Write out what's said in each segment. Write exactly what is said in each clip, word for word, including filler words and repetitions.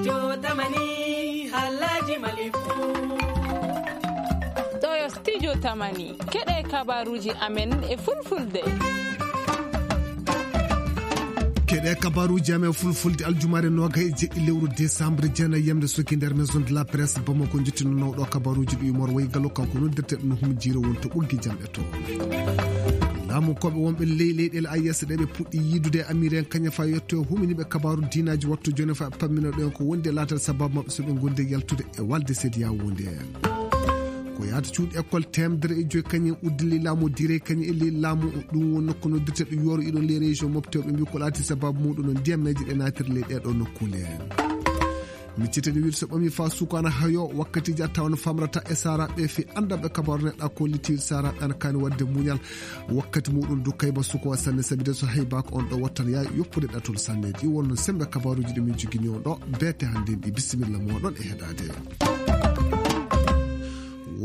Studio Tamani, halaji Mali fu. Ɗo yo Studio Tamani, keɗe kabaruji amen e fulfulde. Keɗe kabaruji amen fulfulde aljumaare noga e jeɗɗi lewru décembre, jeenayi yamde soki nder Maison de la Presse Bamako, jottino nawɗo kabaruji ɗi Umar Way Gallo, kanko noddirteɗo no hum jiro won to ɓoggi jamɗe to. Laamu koɓe wonɓe ley leyɗeele A E S ɗe ɓe puɗɗi yiidude e Amir en kaña fa yetto huminiɓe kabaru diinaji wattu joni fa pammino ɗen ko wonde laatal sababu maɓɓe so ɓe gonde yaltude e walde seediya wonde. Ko yaata cuuɗi école temedere e joyi kañum uddili laamu dire kañum e ley laamu ɗum won nokku noddirteɗo yoro iɗon ley région mofte ɓe mbi ko laati sababu muɗum no ndiyammeji ɗe naatiri ley ɗeɗo nokkule. Mi citani wiide so ɓami fa sukaana hayo wakkatiji a tawa no famrata e saraɓe fi andanɓe kabaru neɗɗa kolliti saraɓe ana kani wadde muñal. Wakkati muɗum du kayba suko sanne sabide so haybako on ɗo wattan ya yoppude ɗatol sanne ɗi wonno sembe kabaruji ɗi min jogini on ɗo. Bete hande ɗi bisimilla moɗon e heɗade.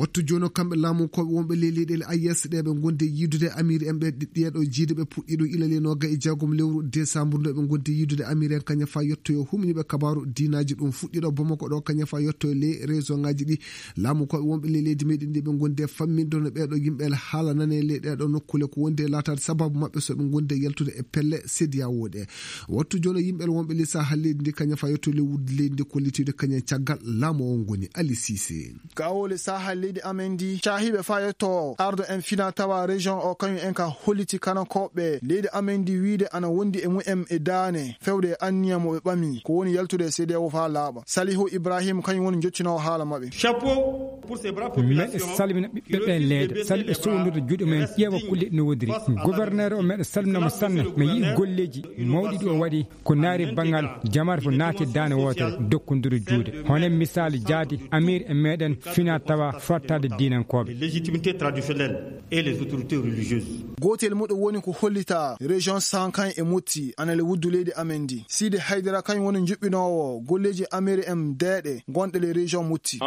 Wattu jono kamɓe laamu koɓe wonɓe ley leyɗele A E S ɗe ɓe gonde yiidude Amir en ɓe ɗiɗɗiyeɗo jiiduɓe puɗɗiɗo ilali noga e jeegom lewru décembre nde ɓe gonde yiidude Amir en kaña fa yettoyo huminiɓe kabaru diinaji ɗum fuɗɗiɗo Bamako ɗo kaña fa yettoyo ley région ngaji ɗi. Laamu koɓe wonɓe ley leydi meɗen ɗi ɓe gonde fammindo no ɓeɗo yimɓe haala nane ley ɗeɗo nokkule ko wonde laatade sababu maɓɓe so ɓe gonde yaltude e pelle seediya woɗe. Wattu jono yimɓe wonɓe ley sahal leydi ndi kaña fa yettoyo ley wudde leydi ndi kollitiɗo kaña caggal laamu o ngoni Ali Sise. Gawole sahal leydi amen ndi cahiɓe fa yetto ardo en fina tawa région o kañum en ka holliti kanakoɓe leydi amen ndi wiide ana wondi e mumen e daane fewde e anniya mo ɓe ɓami ko woni yaltude e seediya o fa laaɓa. Salihu Ibrahim kañum woni jottinowo haala maɓɓe. Chapeau pour ces braves meɗe populations. Salmina ɓiɓɓe ɓe leeda sali ɓe sowndude juuɗe mumen ƴeewa kulle no wodiri. Gouverneur o meɗe salminama sanne mi yii golleji mawɗi ɗi o waɗi. Ko naari banngal jamaare fof naati daane wootere dokkonduru juuɗe. Hono misaali jaadi Amir e meɗen fina tawa fottaade diinankooɓe. Légitimité traditionnelle et les autorités religieuses. Gootel muɗum woni ko hollita région Sankan e Motti anale wuddu leydi amen ndi. Siidi Haydara kañum woni juɓɓinoowo golleeji Amir en deeɗe gonɗe le région Motti.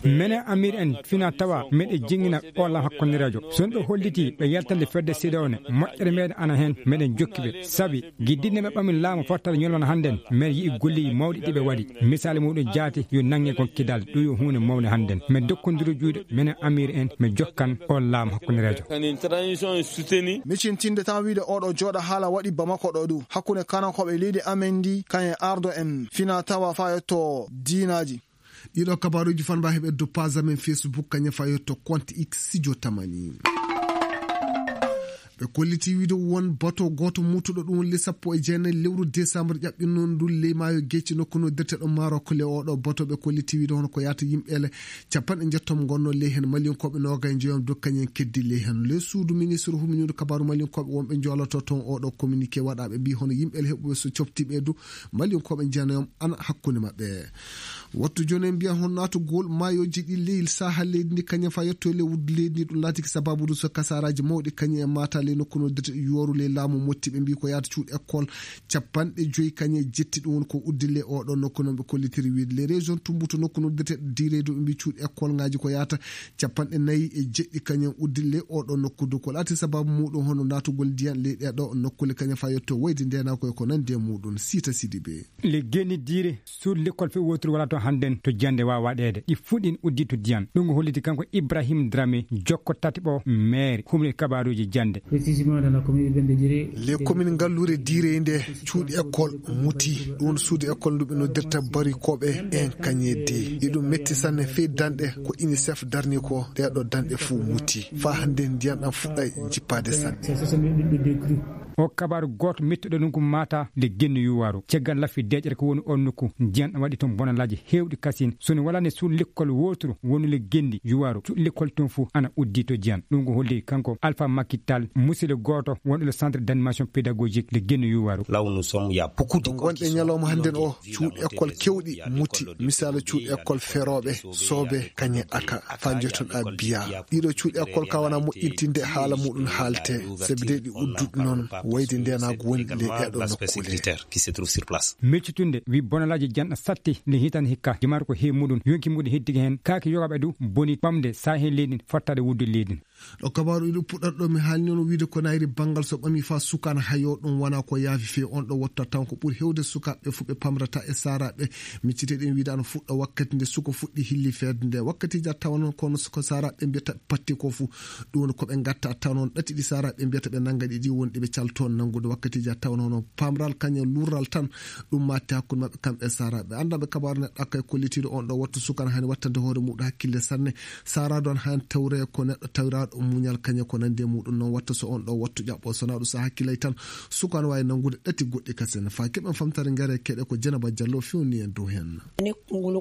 Mene Amir en fina tawa meɗe jingina ɓolla hakkunde radio. Son ɗo holliti ɓe yaltande fedde sida one moƴƴere meɗen ana hen meɗen jokki ɓe sabi giddinne ɓe ɓamin laamu fottata ñolon hannden. Meɗe yi'i golleeji mawɗi ɗi ɓe waɗi. Misaali muɗum jaati yo nange kon kidal ɗum yo huunde mawne hannden. Mi dokkondiro juuɗe mene Amir en mi jokkan on laamu hakkunde radio. Micintinde tan wiide oɗo jooɗa haala waɗi Bamako ɗo du hakkunde kanakoɓe leydi amen ndi kañe ardo en fina tawa fa yetto diinaji. Ɗiɗo kabaruji fanba heɓe do page amen Facebook kaña fa yetto compte X sijo tamani. Ɓe kolliti wiide won bato goto mutuɗo ɗum le sappo e jeenayi lewru décembre ƴaɓɓinno ndun ley maayo gecci nokku no dirteɗo Maroc. Le oɗo bato ɓe kolliti wiide hono ko yaata yimɓe ele capanɗe njettom gonno ley hen malinkoɓe noga e jeeyom dokkañen keddi ley hen le suudu ministre huminunde kabaru malinkoɓe wonɓe joloto toon oɗo communiqué waɗaɓe mbi hono yimɓe ele heɓuɓe so coftiɓe du malinkoɓe jeenayom ana hakkunde maɓɓe. Wattu joni en mbiya hon natugol mayoji ɗi leyil saha leydi ndi kañum fa yetto le wuddu leydi ndi ɗum laatiki sababu ɗum so kasaraji mawɗi kañum e mata ley nokku no dete yoru ley laamu motti ɓe mbi ko yaata cuuɗi école capanɗe joyi kañum e jetti ɗum woni ko uddi ley oɗo nokku noon ɓe kollitiri wiide ley région tumbutu nokku no dete dire ɗum ɓe mbi cuuɗi école ngaji ko yaata capanɗe nayi e jeɗɗi kañum uddi ley oɗo nokku du ko laati sababu muɗum hono natugol ndiyan ley ɗeɗo nokkule kañum fa yetto wayde ndenakoye ko nandi e muɗum sita sidi ɓe. Le geni dire suudu lekkol few woturu wala to hannden to jande wawa waɗeede ɗi fuɗɗin uddi to diyan ɗum ko holliti kanko Ibrahim Drame jokko tati ɓo maire humni kabaruji jande. Les communes ngallure dire nde cuuɗi école muti ɗum suudu école ndu ɓe noddirta barikoɓe en kañedde iɗum metti sanne fey danɗe ko unicef darni ko ɗeɗo danɗe fuu muti fa hannden ndiyan ɗam fuɗɗa jippade sanne. O kabaru goto mettuɗo ɗum ko mata le genni yuwaru ceggal laffi deƴere ko woni on nokku ndiyan ɗam waɗi toon bonalaji hewɗi kasin soni walani suudu lekkol woturu woni le genni yuwaru cuuɗi lekkol toon fof ana uddi to diyan ɗum ko holli kanko alpha makital musidɗo goto wonɗo le centre d'animation pédagogique le genni yuwaru. Law nous sommes ya beaucoup de gonɗe ñalawma hannden o cuuɗi école kewɗi muti misala cuuɗi école feroɓe sobe kañe aka fa jotoɗa biya ɗiɗo cuuɗi école ka wona moƴƴintinde haala muɗum haalte sabi de ɗi udduɗi noon wayde ndenago woni le ɗeɗo nokkule. Meccitunde wi bonalaji janɗa satti nde hitande hikka jimata ko heewi muɗum yonki muɗum heddiki heen kaake yogaɓe du boni ɓamde sa heen leydi fottade wudde leydi. Ɗo kabaaru iɗo puɗɗata ɗo mi haalni on wiide ko nayri banngal so ɓami faa sukaan hayo ɗum wonaa ko yaafi feewi. On ɗo wotta tan ko ɓuri heewde sukaaɓe fof ɓe pamrata e saaraaɓe. Micciteɗen wiide ana fuɗɗa wakkati nde suko fuɗɗi hilli feerde nde. Wakkatiiji a tawa noon kono ko saaraaɓe mbiyata patti ko fuu. Ɗum woni ko ɓe ngatta tawa noon ɗati ɗi saaraaɓe mbiyata ɓe nannga ɗi ɗi woni ɗi ɓe caltoon nanngude. Wakkatiiji a tawa noon pamral kañum lurral tan ɗum matti hakkunde maɓɓe kamɓe e saaraaɓe. Anndanɓe kabaaru neɗɗo kay kollitiiɗo on ɗo wattu sukaan hani wattande hoore muɗum hakkille sanne. Saaraaɗo on han tawre ko neɗɗo tawiraaɗo muñal kañe ko nandi e muɗum noon watta so on ɗo wattu ƴaɓɓo so na ɗum sa hakkilay tan sukaan waawi nanngude ɗati goɗɗi kasen. Faa keɓen famtare ngare keɗe ko Jenaba Jallo fewni en dow heen.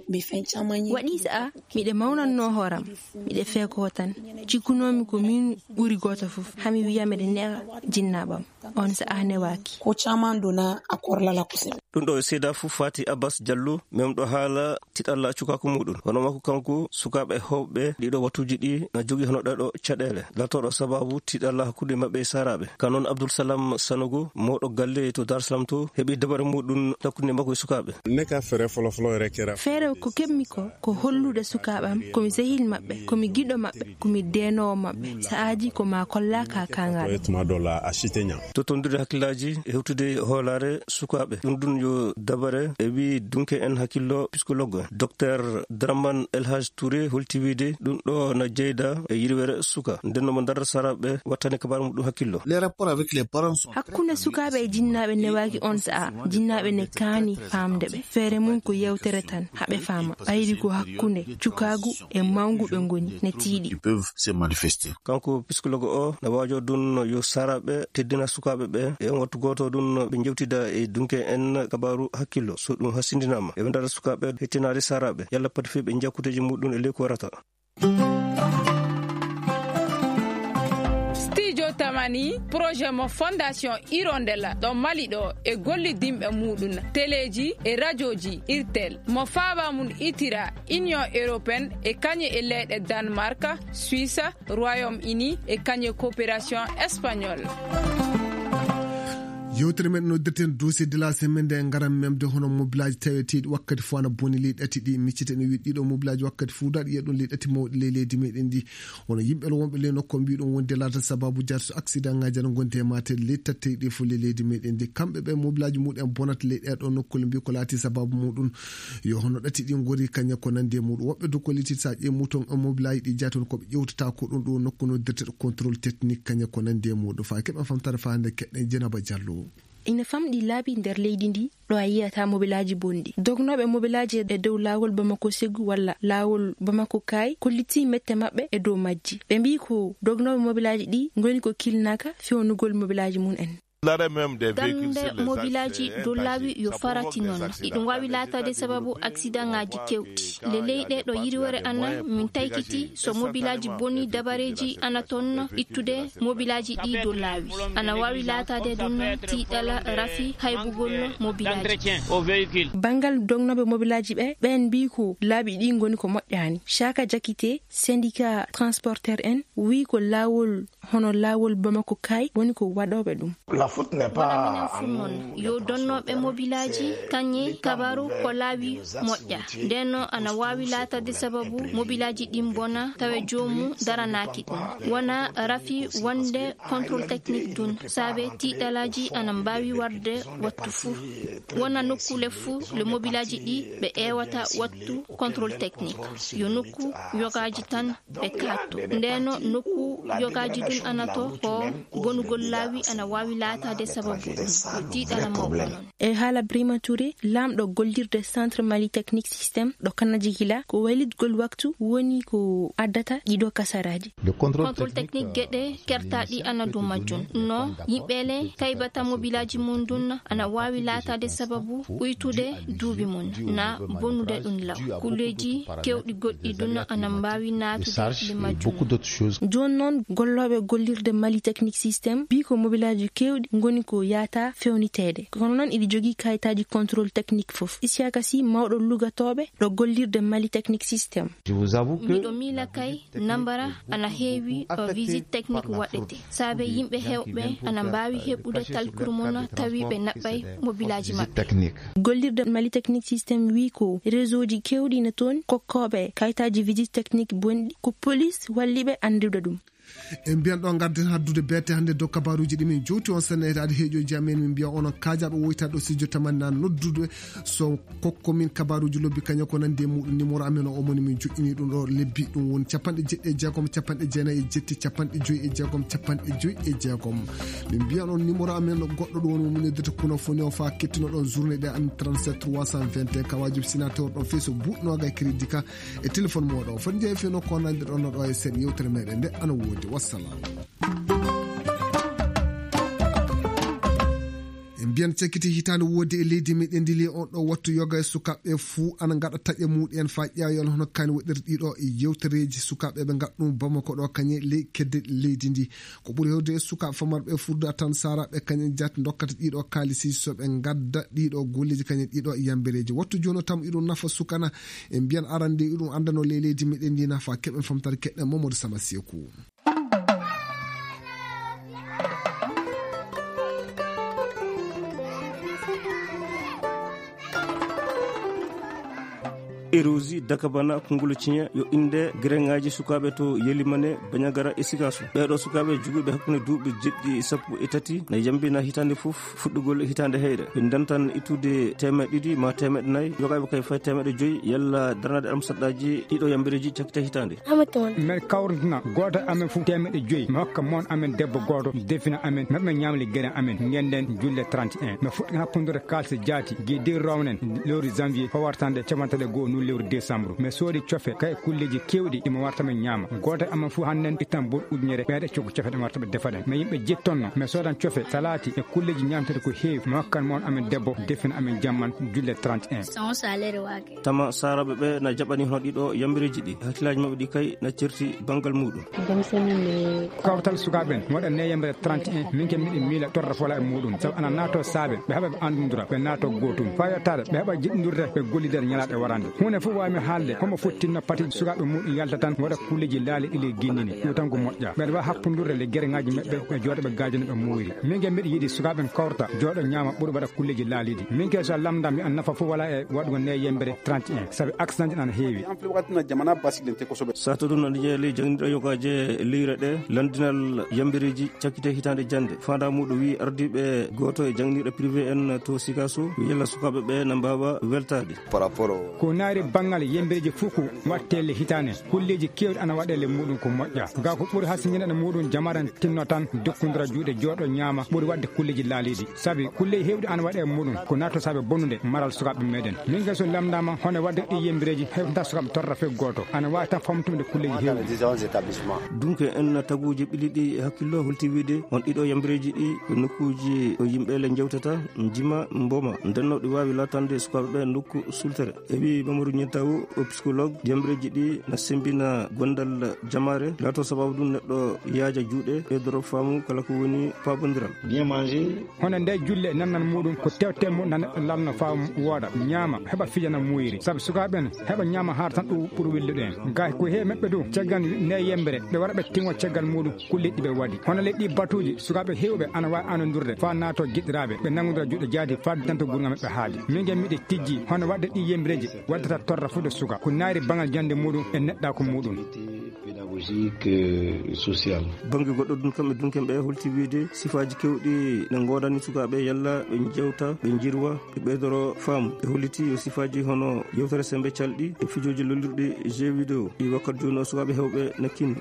Waɗi sa'a miɗe mawnannoo hooram, miɗe feekoo tan. Cikkunoomi ko miin ɓuri gooto fof, hami wiya miɗe ne'a jinnaaɓam. On sa'a newaaki. Ko caman donna a korlala kosel. Ɗum ɗo e seeda fof faati Abbas Jallo, memɗo haala tiɗalla cukaaku muɗum. Hono makko kanko, sukaaɓe heewɓe ɗiɗo wattuuji ɗi na jogii hono ɗeɗo caɗeele. Latooɗo sababu tiɗalla hakkunde maɓɓe e saaraaɓe. Ka noon Abdul Salam Sanogo, mawɗo galle to Dar Salam to, heɓi dabare muɗum hakkunde makko e sukaaɓe. Ne ka feere folo folo yɛrɛ kɛra. Feere ko keɓmi ko, ko hollude sukaaɓe am, ko mi sehil maɓɓe, ko mi giɗo maɓɓe, ko mi deenoowo maɓɓe. Sa'aaji ko ma kolla ka kangal. Tuma dɔ la, a si tɛ ɲa. Totondire hakkillaaji e hewtude hoolaare sukaaɓe. Ɗum ɗum yo dabare e wi dunke en hakkillo psychologue. Docteur Draman El Hadj Touré holti wiide ɗum ɗo na jeyda e yirwere suka. Nden no mo ndar saraɓe wattani kabar muɗum hakkillo. Les rapports avec les parents sont hakkunde sukaaɓe e jinnaaɓe newaaki on sa'a. Jinnaaɓe ne kaani faamde ɓe. Feere mum ko yewtere tan, haɓe faama. Ɓayri ko hakkunde cukaagu e mawngu ɓe ngoni, ne tiiɗi. Ils peuvent se manifester. Kanko psychologue o na waajo ɗum yo saraɓe teddina sukaaɓe ɓe. E on wattu gooto ɗum ɓe njewtida e dunke en kabaru hakkillo. So ɗum hasindinaama, ɓe ndara sukaaɓe hettinaade saraɓe. Yalla pati fii ɓe njiya kuuteeji muɗum e ley ko warata. Studio Tamani, projet mo Fondation Hirondelle ɗo Mali ɗo e gollidinɓe muɗum, teleeji e rajooji Irtel, mo faaba mum itira Union Européenne e kañe e leyɗe Danemark, Suisse, Royaume Uni e kañe coopération espagnole. Yewtere men noddirten dossier de la semaine nde ngaran memde hono mobilaaji taweteeɗi wakkati fof ana boni ley ɗati ɗi. Micciten e wiide ɗiɗo mobilaaji wakkati fof daɗi yiya ɗum ley ɗati mawɗi ley leydi meɗen ndi. Wono yimɓe wonɓe ley nokku mbiɗon wonde laata sababu jarto accident ngaji ana gondi e matel ley tattey ɗi fof ley leydi meɗen ndi. Kamɓe ɓe mobilaaji muɗen bonata ley ɗeɗo nokkuule mbi ko laati sababu muɗum. Yo hono ɗati ɗi ngori kañe ko nandi e muɗum. Woɓɓe dow kolliti sa ƴeewi muton e mobilaaji ɗi jaaton ko ƴewtata ko ɗum ɗo nokku noddirteɗo contrôle technique kañe ko nandi e muɗum. Faa keɓen famtare faa hannde keɗɗen Jenaba Jallo. Ina famɗi laabi nder leydi ndi, ɗo a yiyata mobilaaji bonɗi. Dognooɓe mobilaaji e dow laawol Bamako Segu walla laawol Bamako Kaay kolliti mette maɓɓe e dow majji. Ɓe mbii ko dognooɓe mobilaaji ɗi ngoni ko kilnaaka fewnugol mobilaaji mum en. Gannde mobilaaji dow laawi yo farati noon. Iɗum waawi laataade sababu aksidaŋaaji keewɗi. Le leyɗe ɗo yiriwere ana min taykiti so mobilaaji boni dabareeji ana toon ittude mobilaaji ɗi dow laawi. Ana waawi laataade ɗum tiiɗala rafi haybugol mobilaaji. Banngal dognooɓe mobilaaji ɓe, ɓeen mbii ko laabi ɗi ngoni ko moƴƴaani. Chaka Jakite, syndicat transporteur en, wii ko laawol hono laawol Bamako Kaay woni ko waɗooɓe ɗum. Wona minen fof noon, yo donnooɓe mobilaaji kañe kabaru ko laawi moƴƴa. Nden noon ana waawi laatade sababu mobilaaji ɗin bona tawa joomum daranaaki ɗum. Wona rafi wonde contrôle technique ɗum, saabe tiiɗalaaji ana mbaawi warde wattu fuu. Wona nokkuule fuu le mobilaaji ɗi ɓe ƴeewata wattu contrôle technique. Yo nokku yogaaji tan ɓe kaatto. Ndeno nokku yogaaji ɗum ana to ko bonugol laawi ana waawi laataade sababu ɗum. Yo tiiɗala mawɗo noon. E haala Brima Touré, laamɗo gollirde Centre Mali Technique Système ɗo Kannaji Hila, ko waylitgol waktu woni ko addata ɗiɗo kasaraaji. Contrôle technique geɗe kertaaɗi ana dow majjum. No yimɓe le taybata mobilaaji mum ɗum ana waawi laataade sababu uytude duuɓi mum, na bonude ɗum law. Kulleeji keewɗi goɗɗi ɗum ana mbaawi naatude le majjum. Jooni noon, gollooɓe gollirde Mali Technique Système mbii ko mobilaaji keewɗi ngoni ko yaata fewniteede. Kono noon, iɗi jogii kayitaaji contrôle technique fof. Isiyaka Sy, mawɗo lugatooɓe ɗo gollirde Mali Technique Système. Miɗo miila kay, nambara ana heewi, o visite technique waɗete. Saabe yimɓe heewɓe ana mbaawi heɓude talkuru mum tawi ɓe naɓɓay mobilaaji maɓɓe. Gollirde Mali Technique Système wii ko réseauji keewɗi na toon kokkooɓe kayitaaji visite technique bonɗi, ko police walli ɓe anndude ɗum. En mbiyan ɗo ngarden haddude beete hannde dow kabaruuji ɗi min jowti on sanne etaade heeƴooji amen, min mbiya onon kaajaaɓe woytaade ɗo studio tamani na noddude so kokko min kabaruuji lobbi kañum ko nandi e muɗum. Numéro amen o omoni min joƴƴini ɗum ɗo lebbi ɗum woni capanɗe jeɗɗi e jeegom capanɗe jeenayi e jetti capanɗe joyi e jeegom capanɗe joyi e jeegom. Min mbiyan on numéro amen goɗɗo ɗum woni mo min noddata kuno foni o fa kettino ɗon journée ɗe an trente-sept trois cent vingt et un kawaji sinateur ɗon fii so buɗnoga e crédit ka e téléphone moɗo foti jeeyi fii nokko nandirɗon no ɗo e seeɗa yewtere meɗen nde ana woodi. Wassalam. En mbiyan cakkiti hitaande woodi e leydi meɗen ndi li on ɗo wattu yoga e sukaaɓe fuu ana ngaɗa taƴe muɗen fa ƴeewal hono kani waɗirɗi ɗo e yewtereeji sukaaɓe ɓe ngaɗa ɗum Bamako ɗo kañe ley kedde leydi ndi. Ko ɓuri hewde e sukaaɓe famarɓe furda tan saaraaɓe kañe jaat ndokkata ɗiɗo kaalisi so ɓe ngadda ɗiɗo golleji kañe ɗiɗo yambereeji wattu jono tam iɗum nafa sukana. En mbiyan arande iɗum andano ley leydi meɗen ndi nafa keɓen famtare keɗɗen Mamadou Sama Seku. Erosi dakabana kongolo ciña yo inde gereŋaaji sukaaɓe to yelimane bañagara e sikaaso. Ɓeeɗo sukaaɓe jogiiɓe hakkunde duuɓi jeɗɗi sappo e tati na yambina hitaande fof fuɗɗugol hitaande heyre ɓe ndantan ittude teemeɗe ɗiɗi ma teemeɗe nayi yogaaɓe kay fay teemeɗe joyi yalla darnade am saɗɗaaji ɗiɗo yambereeji cakkita hitaande. Amen kawrantana gooto e amen fof teemeɗe joyi mi hokka moon amen debbo gooto defina amen maɓe ñaamle gere amen ngenden julle trente et un mi fuɗɗi hakkundure kaalse jaati gi de rownen lewru janvier fawartande capantaɗe goo nu lewru décembre mi soodi cofe kay kulleji kewɗi imo warta mi ñaama gooto e amen fof hannden ittan bur ujunere ɓeeɗe coggo cofe ɗe warta ɓe defaɗen mi yimɓe jettonno mi soodan cofe salati e kulleji ñaamtede ko heewi mi hokkan moon amen debbo defina amen jamman julle trente et un. Tama saaraaɓe ɓe na jaɓani hono ɗiɗo yambireeji ɗi hakkillaaji maɓɓe ɗi kay na certi banngal muuɗum. Kawtal sukaaɓe en waɗa ne yambireeji trente et un min ke miɗo miila torra fola e muuɗum sabu ana naato saabe ɓe haɓa ɓe anndundura ɓe naato gootum faa yottaade ɓe haɓa jiɗndurde ɓe gollidere ñalaaɗe warande huunde fof waawmi haalde homo fottinno pati sukaaɓe muuɗum yalta tan waɗa kulleeji laali ɗi le ginnini ɗum tan ko moƴƴa ɓeɗa wawa hakkundurde le gereŋaaji maɓɓe ɓe jooɗa ɓe gaajana ɓe muuyri min ke miɗo yiɗi sukaaɓe en kawrta jooɗo ñaama ɓuri waɗa kulleeji laaliiɗi min ke so lamndam mi an nafa fof wala e waɗugo ne yembere trente et un sabu accident ji ɗan heewi. Sato ɗum no jeeya ley jangniiɗo yogaaje leyre ɗe lanndinal yambereeji cakkite hitaande jannde faandaa muuɗum wii ardiiɓe gooto e jangniiɗo privé en to Sikaso yo yalla sukaaɓe ɓe na mbaawa weltaade. Ko naari banngal yembereeji fof ko waɗtee le hitaande kulleeji keewɗi ana waɗee le muuɗum ko moƴƴa ga ko ɓuri hasindinande muuɗum jamaran tinno tan dokkondira juuɗe jooɗo ñaama ɓuri waɗde kulleeji laaliiɗi sabi kulleeji heewɗi ana waɗee muuɗum ko naatto saabe bonnude maral sukaaɓe meɗen min gay so lamndaama hono waɗde ɗi yembereeji heɓata sukaaɓe torra fee gooto ana waawi tan famtumde kulleeji heewɗi. Dunke en taguuji ɓiliɗi e hakkillo holti wiide on ɗiɗo yambereeji ɗi ko nokkuuji ɗo yimɓe le njewtata njima mboma ndenno ɗi waawi laatande sukaaɓe ɓe nokku sultere. E wi Mamadou Niantawo o psychologue yambereeji ɗi na sembina gondal jamaare laato sababu ɗum neɗɗo yaaja juuɗe ɓeydoro faamu kala ko woni paabondiral. Hono nde julle nannan muuɗum ko tewte mum na neɗɗo lalno faamu wooda ñaama heɓa fijana muuyri sabu sukaaɓe en heɓa ñaama haara tan ɗum ɓuri wellude en gay ko heewi maɓɓe du caggal nde yembere ɓe wara ɓe tingo caggal muuɗum kulleeji ɗi ɓe waɗi hono le ɗi batuuji sukaaɓe heewɓe ana waawi anondurde faa naato giɗiraaɓe ɓe nanngodira juuɗe jaati faa danto gurnga maɓɓe haali min gay miɗe tijji hono waɗde ɗi yembereeji waddata torra fuɗo suka ko naari bangal jannde muuɗum e neɗɗaaku muuɗum. Pédagogique, euh, social. Bannge goɗɗo ɗum kamɓe dunken ɓe holti wiide sifaaji kewɗi ne ngoodani sukaaɓe yalla ɓe njewta ɓe njirwa ɓe ɓeydoro faamu ɓe holliti yo sifaaji hono yewtere semmbe calɗi e fijooji lollirɗi jeu vidéo ɗi wakkat jooni o sukaaɓe heewɓe nakkinni.